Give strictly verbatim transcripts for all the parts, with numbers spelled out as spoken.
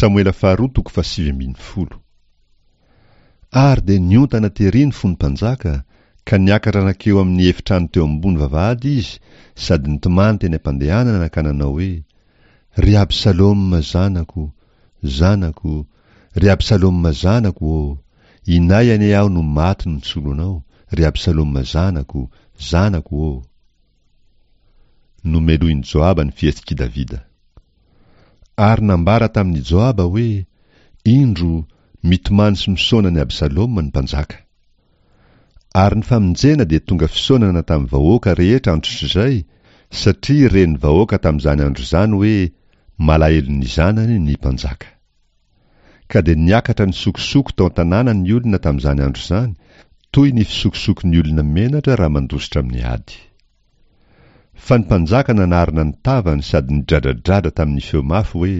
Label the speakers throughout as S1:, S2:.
S1: Samoela faharoa toko fahasivy ambin'ny folo. Ary dia niontana tery ny fon'ny mpanjaka, ka niakatra nankeo amin'ny efitrano teo ambony vavahady izy sady nitomany teny am-pandehanana ka nanao hoe, Ry Absaloma zanako, zanako, ry Absaloma zanako ô! Inay anie aho no maty nisolo anao, ry Absaloma zanako, zanako ô! Nomelohin'i Joaba ny fihetsik'i Davida. Ary nambara tamin'i Joaba hoe, Indro, mitomany sy misaona an'i Absaloma ny mpanjaka. Ary ny famonjena dia tonga fisaonana tamin'ny vahoaka rehetra androtrizay, satria ren'ny vahoaka tamin'izany andro izany hoe malahelo ny zanany ny mpanjaka. Ka dia niakatra nisokosoko tao an-tanàna ny olona tamin'izany andro izany, toy ny fisokosokon'ny olona menatra raha mandositra amin'ny ady. Fa ny mpanjaka nanarona ny tavany sady nidradradradra tamin'ny feo mafy hoe,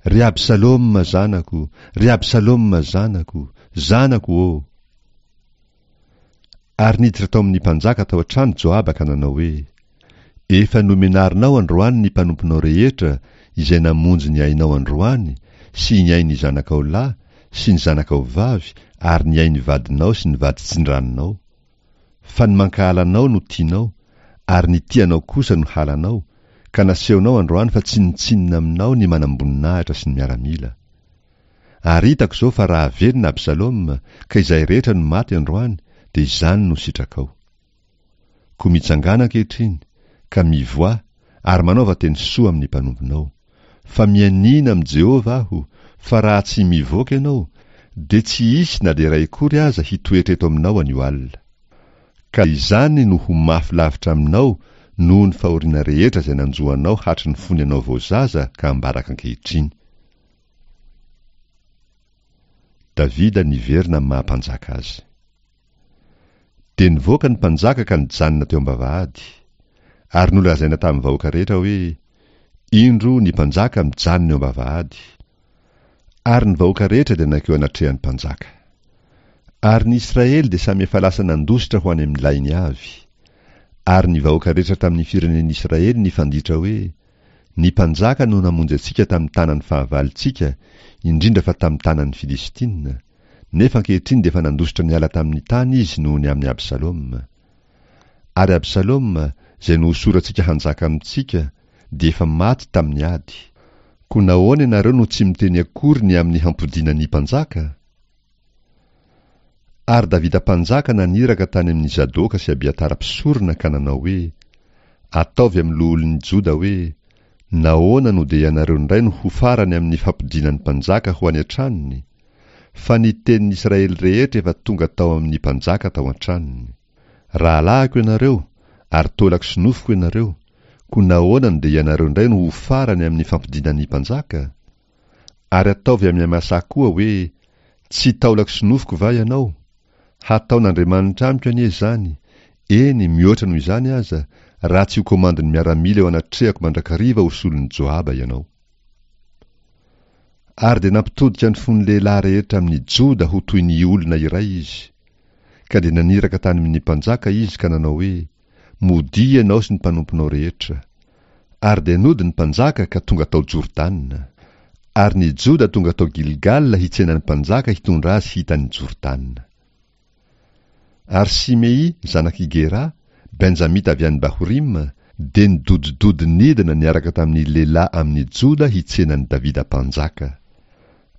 S1: Ry Absaloma zanako, ry Absaloma zanako, zanako ô! Ary niditra tao amin'ny mpanjaka tao an-trano Joaba ka nanao hoe, Efa nomenarinao androany ny mpanomponao rehetra izay namonjy ny ainao androany sy ny ain'ny zanakao lahy sy ny zanakao vavy ary ny ain'ny vadinao sy ny vaditsindranonao. Fa ny mankahala anao no tianao ary ny tia anao kosa no halanao, ka nasehonao androany fa tsinontsinona aminao ny manamboninahitra sy ny miaramila. Ary hitako izao fa raha velona Absaloma, ka izay rehetra no maty androany, dia izany no sitrakao. Koa mitsangàna ankehitriny, ka mivoaha, ary manaova teny soa amin'ny mpanomponao. Fa mianiana amin'i Jehovah aho, fa raha tsy mivoaka ianao, dia tsy hisy na dia iray akory aza hitoetra eto aminao anio alina. Ka izany no ho mafy lavitra aminao noho ny fahoriana rehetra izay nanjo anao hatry ny fony ianao vao zaza ka ambaraka ankehitriny. Davida niverina amin'ny maha-mpanjaka azy. Dia nivoaka ny mpanjaka ka nijanona teo am-bavahady. Ary nolazaina tamin'ny vahoaka rehetra hoe, Indro ny mpanjaka mijanona eo am-bavahady. Ary ny vahoaka rehetra dia nankeo anatrehan'ny mpanjaka. Ary ny Israely dia samy efa lasa nandositra ho any amin'ny lainy avy. Ary ny vahoaka rehetra tamin'ny firenen'Israely nifanditra hoe, Ny mpanjaka no namonjy antsika tamin'ny tanan'ny fahavalontsika, indrindra fa tamin'ny tanan'ny Filistina. Nefa ankehitriny dia efa nandositra niala tamin'ny tany izy noho ny amin'i Absaloma. Ary Absaloma, izay nohosorantsika hanjaka amintsika, dia efa maty tamin'ny ady. Koa nahoana ianareo no tsy miteny akory ny amin'ny hampodiana ny mpanjaka? Ary Davida mpanjaka naniraka tany amin'i Zadoka sy Abiatara mpisorona ka nanao hoe, Ataovy amin'ny loholon'ny Joda hoe, Nahoana no dia ianareo indray no ho farany amin'ny fampodiana ny mpanjaka ho any an-tranony? Fa ny tenin'ny Israely rehetra efa tonga tao amin'ny mpanjaka tao an-tranony. Rahalahiko ianareo, ary taolako sy nofoko ianareo, koa nahoana no dia ianareo indray no ho farany amin'ny fampodiana ny mpanjaka? Ary ataovy amin'i Amasà koa hoe, Tsy taolako sy nofoko va ianao? Hataon'Andriamanitra amiko anie izany, eny, mihoatra noho izany aza, raha tsy ho komandin'ny miaramila eo anatrehako mandrakariva ho solon'i Joaba ianao. Ary dia nampitodika ny fon'ny lehilahy rehetra amin'ny Joda ho toy ny olona iray izy. Ka dia naniraka tany amin'ny mpanjaka izy ka nanao hoe, Modia ianao sy ny mpanomponao rehetra. Ary dia nody ny mpanjaka ka tonga tao Jordana. Ary ny Joda tonga tao Gilgala hitsena ny mpanjaka hitondra azy hita an'i Jordana. Ary Simei, zanak'i Gera, Benjamita avy any Bahorima, dia nidodidody nidina niaraka tamin'ny lehilahy amin'ny Joda hitsena an'i Davida mpanjaka.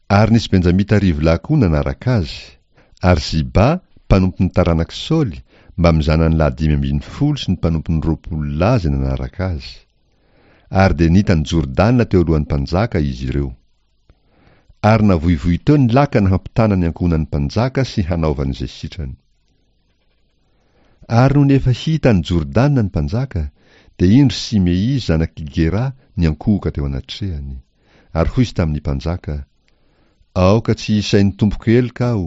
S1: Ary nisy Benjamita arivo lahy koa nanaraka azy. Ary Ziba, mpanompon'ny taranak'i Saoly, mbamin'ny zanany lahy dimy ambin'ny folo sy ny mpanompony roapolo lahy izay nanaraka azy. Ary dia nita an'i Jordana teo alohan'ny mpanjaka izy ireo. Ary navoivoy teo ny lakana hampitana ny ankohonan'ny mpanjaka sy hanaovany izay sitrany. Ary nony efa hita an'i Jordana ny mpanjaka, dia indro Simei zanak'i Gera niankohoka teo anatrehany. Ary hoy izy tamin'ny mpanjaka, Aoka tsy hisain'ny tompoko heloka aho,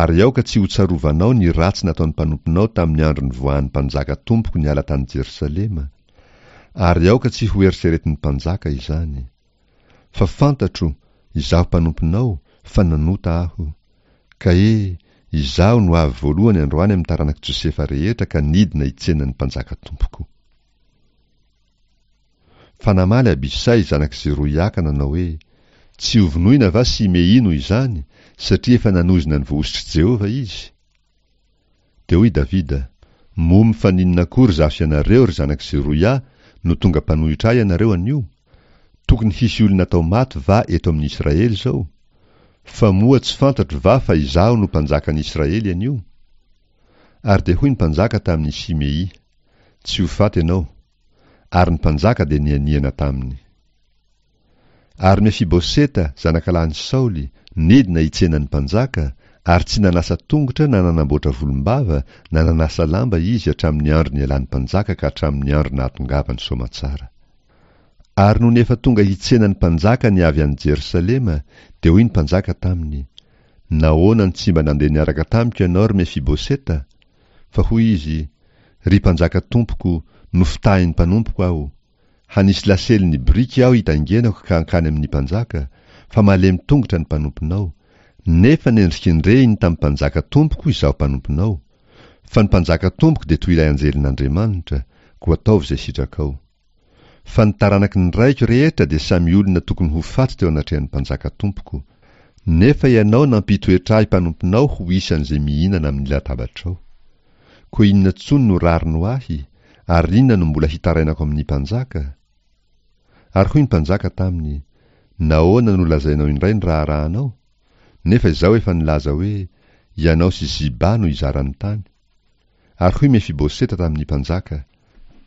S1: ary aoka tsy hotsarovanao ny ratsy nataon'ny mpanomponao tamin'ny andro nivoahan'ny mpanjaka tompoko niala tany Jerosalema, ary aoka tsy hoeritreretin'ny mpanjaka izany. Fa fantatro, izaho mpanomponao, fa nanota aho. Ka he, izaho no avy voalohany androany amin'ny taranak'i Josefa rehetra ka nidina hitsena ny mpanjaka tompoko. Fa namaly Abisay zanak'i Zeroia ka nanao hoe, Tsy hovonoina va Simei noho izany, satria efa nanozona ny voahosotr'i Jehovah izy? Dia hoy Davida, Moa mifaninona akory izaho sy ianareo, ry zanak'i Zeroia, no tonga mpanohitra ahy ianareo anio? Tokony hisy olona atao maty va eto amin'ny Israely izao? Fa moa tsy fantatro va fa izaho no mpanjakan'ny Israely anio? Ary dia hoy ny mpanjaka tamin'i Simei, Tsy ho faty ianao. Ary ny mpanjaka dia nianiana taminy. Ary Mefiboseta, zanakalahin'i Saoly, nidina hitsena ny mpanjaka, ary tsy nanasa tongotra na nanamboatra volombava na nanasa lamba izy hatramin'ny andro nialan'ny mpanjaka ka hatramin'ny andro nahatongavany soamantsara. Ary nony efa tonga hitsena ny mpanjaka ny avy any Jerosalema, dia hoy ny mpanjaka taminy, Nahoana no tsy mba nandeha niaraka tamiko ianao, ry Mefiboseta? Fa hoy izy, Ry mpanjaka tompoko, nofitahin'ny mpanompoko aho. Hanisy lasely ny biriky aho hitaingenako ka hankany amin'ny mpanjaka, fa malemy tongotra ny mpanomponao, nefa nendrikendrehiny tamin'ny mpanjaka tompoko izaho mpanomponao. Fa ny mpanjaka tompoko dia toy ilay anjelin'Andriamanitra, koa ataovy izay sitrakao. Fa ny taranaky ny raiko rehetra dia samy olona tokony ho faty teo anatrehan'ny mpanjaka tompoko. Nefa ianao nampitoetra ahy mpanomponao ho isan'izay mihinana amin'ny latabatrao. Koa inona intsony no rariny ho ahy, ary inona no mbola hitarainako amin'ny mpanjaka? Ary hoy ny mpanjaka taminy, Nahoana no lazainao indray ny raharahanao? Nefa izaho efa nilaza hoe, Ianao sy Ziba no hizara ny tany. Ary hoy Mefiboseta tamin'ny mpanjaka,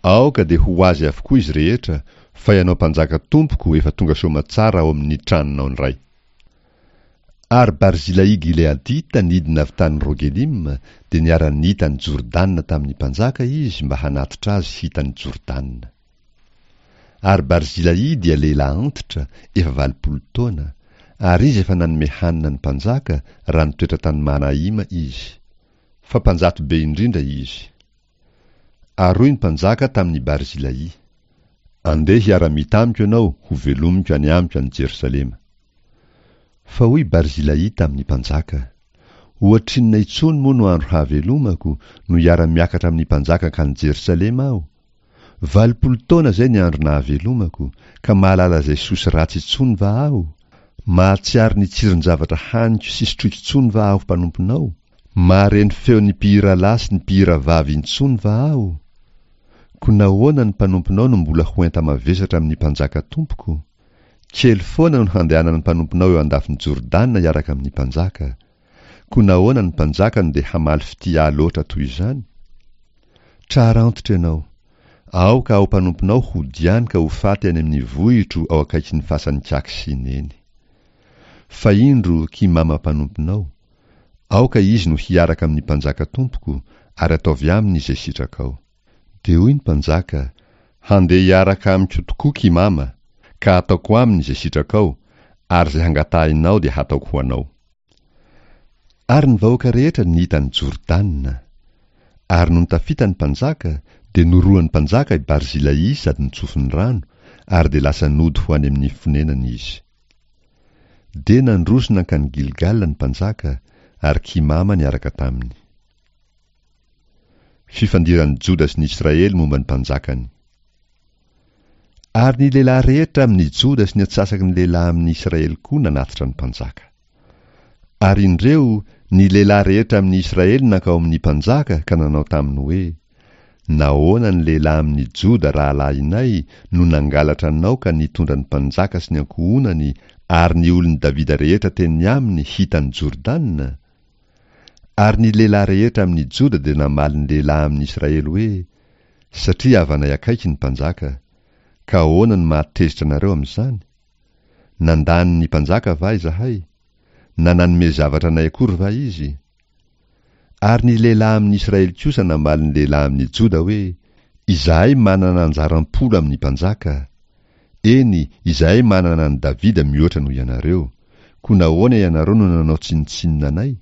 S1: Aoka dia ho azy avokoa izy rehetra, fa ianao mpanjaka tompoko efa tonga soamatsara ao amin'ny tranonao indray. Ary Barzilai Gileadita nidina avy tany Rogelima, dia niara-nita an'i Jordana tamin'ny mpanjaka izy mba hanatitra azy hita an'i Jordana. Ary Barzilai dia lehilahy antitra, efa valopolo taona, ary izy efa nanome hanina ny mpanjaka raha nitoetra tany Mahanaima izy. Fa mpanjato be indrindra izy. Ary hoy ny mpanjaka tamin'i Barzilai, Andeha hiara-mita amiko ianao hovelomiko any amiko any Jerosalema. Fa hoy Barzilai tamin'ny mpanjaka, Ohatrinona intsony moa no andro hahavelomako no hiara-miakatra amin'ny mpanjaka hankany Jerosalema aho? Valopolo taona izay ny andro nahavelomako, ka mahalala izay soa sy ratsy intsony va aho? Mahatsiaro ny tsiron-javatra haniko sy sotroiko intsony va aho mpanomponao? Mahare ny feon'ny mpihira lahy sy ny mpihira vavy intsony va aho? Koa nahoana ny mpanomponao no mbola ho enta-mavesatra amin'ny mpanjaka tompoko? Kely foana no handehanan'ny mpanomponao eo andafin'i Jordana hiaraka amin'ny mpanjaka. Koa nahoana ny mpanjaka no dia hamaly fitia ahy loatra toy izany? Trara antitra ianao. Aoka aho mpanomponao hody any ka ho faty any amin'ny vohitro ao akaikin'ny fasan'i Kaky sy Neny. Fa indro Kimama mpanomponao. Aoka izy no hiaraka amin'ny mpanjaka tompoko, ary ataovy aminy izay sitrakao. Dia hoy ny mpanjaka, Handeha hiaraka amiko tokoa Kimama, ka hataoko aminy izay sitrakao, ary izay hangatahinao dia hataoko ho anao. Ary ny vahoaka rehetra nita an'i Jordana. Ary nony tafita ny mpanjaka, dia norohan'ny mpanjaka i Barzilai sady nitsofiny rano, ary dia lasa nody ho any amin'ny fonenany izy. Dia nandroso nankany Gilgala ny mpanjaka, ary Kimama niaraka taminy. Fifandiran'ny Joda sy ny Israely momba ny mpanjakany. Ary ny lehilahy rehetra amin'ny Joda sy ny antsasaky ny lehilahy amin'ny Israely koa nanatitra ny mpanjaka. Ary indreo, ny lehilahy rehetra amin'ny Israely nankao amin'ny mpanjaka ka nanao taminy hoe, Nahoana ny lehilahy amin'ny Joda rahalahinay no nangalatra anao ka nitondra ny mpanjaka sy ny ankohonany ary ny olon'i Davida rehetra teny aminy hita an'i Jordana? Ary ny lehilahy rehetra amin'ny Joda dia namaly ny lehilahy amin'ny Israely hoe, Satria havanay akaiky ny mpanjaka. Ka ahoana no mahatezitra anareo amin'izany? Nandany ny mpanjaka va izahay? Na nanome zavatra anay akory va izy? Ary ny lehilahy amin'ny Israely kosa namaly ny lehilahy amin'ny Joda hoe, Izahay manana anjara am-polo amin'ny mpanjaka. Eny, izahay manana an'i Davida mihoatra noho ianareo. Koa nahoana ianareo no nanao tsinontsinona anay?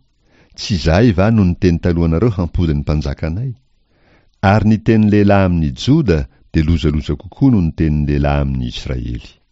S1: Tsy izahay va no niteny talohanareo hampody ny mpanjakanay? Ary ny tenin'ny lehilahy amin'ny Joda dia lozaloza kokoa noho ny tenin'ny lehilahy amin'ny Israely.